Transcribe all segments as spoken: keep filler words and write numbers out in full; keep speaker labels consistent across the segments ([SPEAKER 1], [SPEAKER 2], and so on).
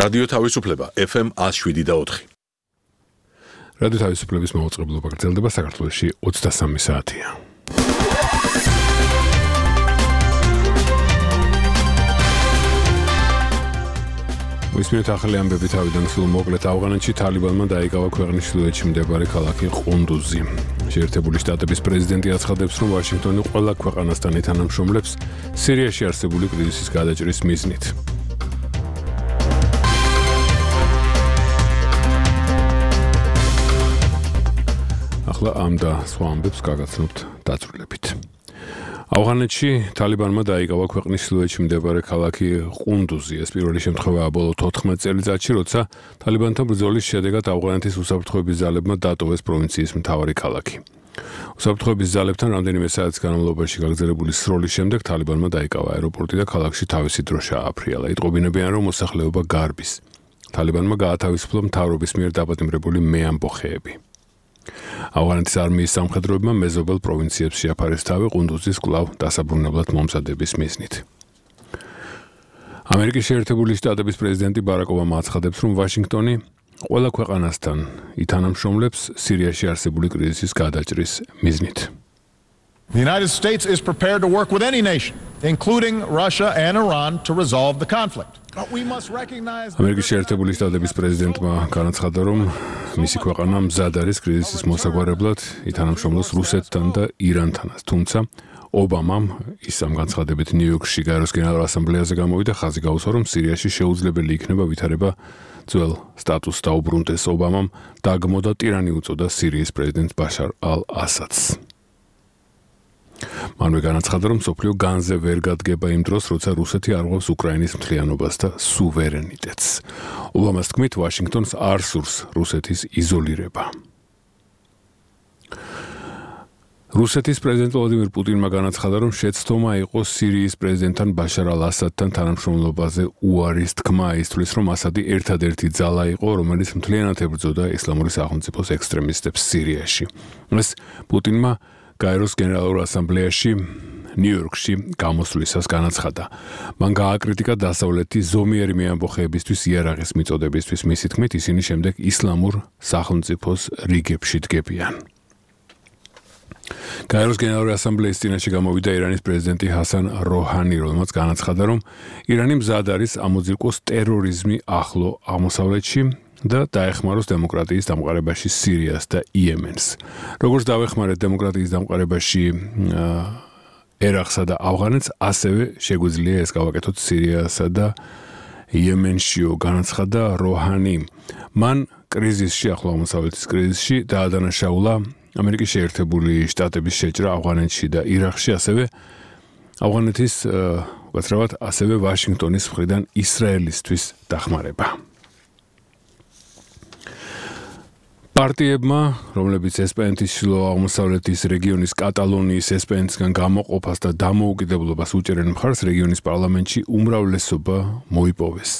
[SPEAKER 1] რადიო თავისუფლება F M one oh seven და four.
[SPEAKER 2] რადიო თავისუფლების მაუწყებლობა გრძელდება საქართველოში ოცდასამი საათია. მისმენთ ახალი ამბები თავიდან სულ მოკლედ ავღანეთში თალიბანმა დაიკავა ქვეყნის ჩრდილოეთში მდებარე ქალაქი ყუნდუზი. შეერთებული შტატების პრეზიდენტი აცხადებს, რომ ვაშინგტონი ყველა ქვეყანასთან ეთანამშრომლებს სირიაში არსებული კრიზისის გადაჭრის მიზნით. ახლა ამ და სხვა ამბებს გაგაცნობთ დაწვრილებით. ავღანეთში თალიბანმა დაიკავა ქვეყნის ჩრდილოეთში მდებარე ქალაქი ყუნდუზი. ეს პირველი შემთხვევაა ბოლო თოთხმეტ წელიწადში, როცა თალიბანთან ბრძოლის შედეგად ავღანეთის უსაფრთხოების ძალებმა დატოვეს პროვინციის მთავარი ქალაქი. უსაფრთხოების ძალებთან რამდენიმე საათის განმავლობაში გაგრძელებული სროლის შემდეგ თალიბანმა დაიკავა აეროპორტი და ქალაქში თავისი დროშა ააფრიალა. იტყობინებიან, რომ მოსახლეობა გარბის. თალიბანმა გაათავისუფლა მთავრობის მიერ დაპატიმრებული მეამბოხეები. ავღანეთის არმიის სამხედროებმა მეზობელ პროვინციებს შეაფარეს თავი ყუნდუზის კვლავ დასაბრუნებლად მომზადების მიზნით. ამერიკის შეერთებული შტატების პრეზიდენტი ბარაკ ობამა აცხადებს, რომ ვაშინგტონი ყველა ქვეყანასთან ითანამშრომლებს სირიაში არსებული კრიზისის გადაჭრის მიზნით.
[SPEAKER 3] The United States is prepared to work with any nation, including Russia and Iran, to resolve the conflict.
[SPEAKER 2] ამერიკის შეერთებული შტატების პრეზიდენტმა განაცხადა, რომ მისი ქვეყანა მზად არის კრიზისის მოსაგვარებლად ითანამშრომლოს რუსეთთან და ირანთანაც. თუმცა ობამამ ის ამ განცხადებით ნიუ-იორკში გაეროს გენერალურ ასამბლეაზე გამოვიდა, ხაზი გაუსვა, რომ სირიაში შეუძლებელი იქნება ვითარება ძველ სტატუსს დაუბრუნდეს. ობამამ დაგმო და ტირანი უწოდა სირიის პრეზიდენტ ბაშარ ალ-ასადს. მანვე განაცხადა, რომ მსოფლიო განზე ვერ გადგება იმ დროს, როცა რუსეთი არღვევს უკრაინის მთლიანობას და სუვერენიტეტს. ობამას თქმით, ვაშინგტონს არ სურს რუსეთის იზოლირება. რუსეთის პრეზიდენტ ვლადიმირ პუტინმა განაცხადა, რომ შეცდომა იყო სირიის პრეზიდენტთან ბაშარ ალ-ასადთან თანამშრომლობაზე უარის თქმა. ის თვლის, რომ ასადი ერთადერთი ძალა იყო, რომელიც მთლიანად ებრძოდა ისლამური სახელმწიფოს ექსტრემისტებს სირიაში. ეს პუტინმა გაეროს გენერალურ ასამბლეაში ნიუ-იორკში გამოსვლისას განაცხადა. მან გააკრიტიკა დასავლეთის ზომიერი მეამბოხეებისთვის იარაღის მიწოდებისთვის. მისი თქმით, ისინი შემდეგ ისლამურ სახელმწიფოს რიგებში დგებიან. გაეროს გენერალური ასამბლეის წინაშე გამოვიდა ირანის პრეზიდენტი ჰასან როჰანი, რომელმაც განაცხადა, რომ ირანი მზად არის ამოძირკოს ტერორიზმი ახლო აღმოსავლეთში და დაეხმაროს დემოკრატიის დამყარებაში სირიას და იემენს. როგორც დაეხმარეთ დემოკრატიის დამყარებაში ერაყსა და ავღანეთს, ასევე შეგვიძლია ეს გავაკეთოთ სირიასა და იემენშიო, განაცხადა როჰანი. მან კრიზისში, ახლო აღმოსავლეთის კრიზისში დაადანაშაულა ამერიკის შეერთებული შტატების შეჭრა ავღანეთში და ირაყში, ასევე ავღანეთის უკაცრავად ასევე ვაშინგტონის მხრიდან ისრაელისთვის დახმარება. პარტიებმა, რომლებიც ესპანეთის ჩრდილო აღმოსავლეთის რეგიონის კატალონიის ესპანეთისგან გამოყოფას და დამოუკიდებლობას უჭერენ მხარს, რეგიონის პარლამენტში უმრავლესობა მოიპოვეს.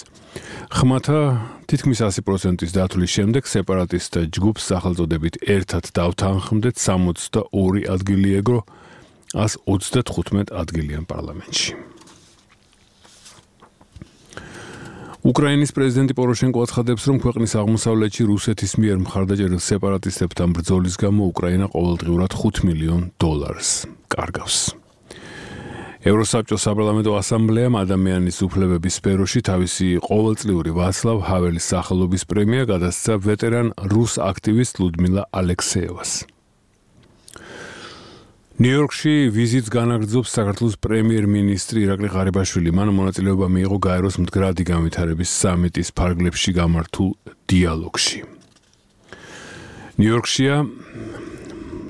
[SPEAKER 2] ხმათა თითქმის ასი პროცენტის დათვლის შემდეგ სეპარატისტთა ჯგუფს სახელწოდებით ერთად დავთანხმდეთ სამოცდაორი ადგილი ეგრო ას ოცდათხუთმეტ ადგილიან პარლამენტში. უკრაინის პრეზიდენტი პოროშენკო აცხადებს, რომ ქვეყნის აღმოსავლეთში რუსეთის მიერ მხარდაჭერილ სეპარატისტებთან ბრძოლის გამო უკრაინა ყოველდღიურად ხუთ მილიონ დოლარს კარგავს. ევროსაბჭოს საპარლამენტო ასამბლეამ ადამიანის უფლებების სფეროში თავისი ყოველწლიური ვაცლავ ჰაველის სახელობის პრემია გადასცა ვეტერან რუს აქტივისტ ლუდმილა ალექსეევას. ნიუ-იორკში ვიზიტს განაგრძობს საქართველოს პრემიერ-მინისტრი ირაკლი ღარიბაშვილი. მან მონაწილეობა მიიღო გაეროს მდგრადი განვითარების სამიტის ფარგლებში გამართულ დიალოგში. ნიუ-იორკშია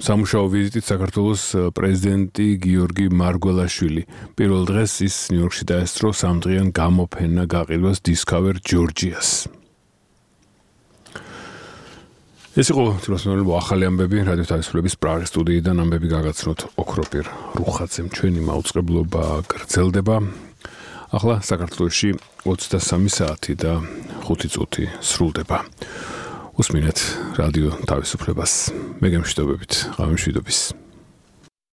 [SPEAKER 2] სამუშაო ვიზიტით საქართველოს პრეზიდენტი გიორგი მარგველაშვილი. პირველ დღეს ის ნიუ-იორკში დაესწრო სამდღიან გამოფენა გაყიდვას Discover Georgia's. ეს იყო თვითმფრინავი ახალი ამბები რადიო თავისუფლების პრაღის სტუდიიდან. ამბები გაგაცნოთ ოქროპირ რუხაძემ. ჩვენი მაუწყებლობა გრძელდება. ახლა საქართველოში ოცდასამი საათი და ხუთი წუთი სრულდება. უსმინეთ რადიო თავისუფლებას. მე გემშვიდობებით. ღამე მშვიდობის.